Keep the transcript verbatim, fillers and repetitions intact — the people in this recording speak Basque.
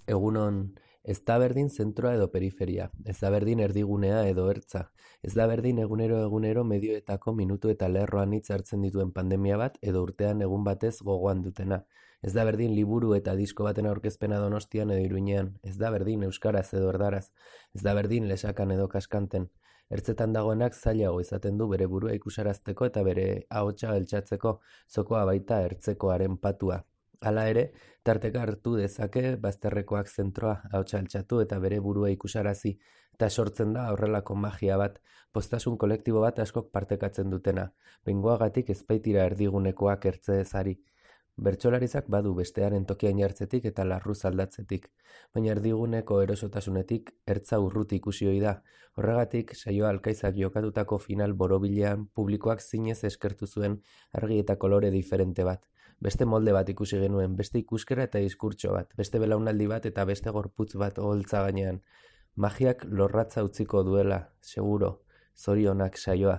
Egunon, ez da berdin zentroa edo periferia, ez da berdin erdigunea edo ertza, ez da berdin egunero egunero medioetako minutu eta lerro anitz hartzen dituen pandemia bat edo urtean egun batez gogoan dutena. Ez da berdin liburu eta disko baten aurkezpena Donostian edo Iruñean, ez da berdin euskaraz edo erdaraz, ez da berdin lesakan edo kaskanten. Ertzetan dagoenak zailago izaten du bere burua ikusarazteko eta bere ahotsa altxatzeko, zokoa baita ertzekoaren patua. Hala ere, tarteka hartu dezake bazterrekoak zentroa ahotsa altxatu eta bere burua ikusarazi, eta sortzen da horrelako magia bat, postasun kolektibo bat askok partekatzen dutena, behingoagatik ez baitira erdigunekoak ertze ezari. Bertsolarizak badu bestearen tokian jartzetik eta larruz aldatzetik, baina erdiguneko erosotasunetik ertza urruti ikusi ohi da. Horregatik, saioa alkaizak jokatutako final borobilean publikoak zinez eskertu zuen argi eta kolore diferente bat. Beste molde bat ikusi genuen, beste ikuskera eta diskurtso bat, beste belaunaldi bat eta beste gorputz bat oholtza gainean. Magiak lorratza utziko duela, seguro, zorionak saioa.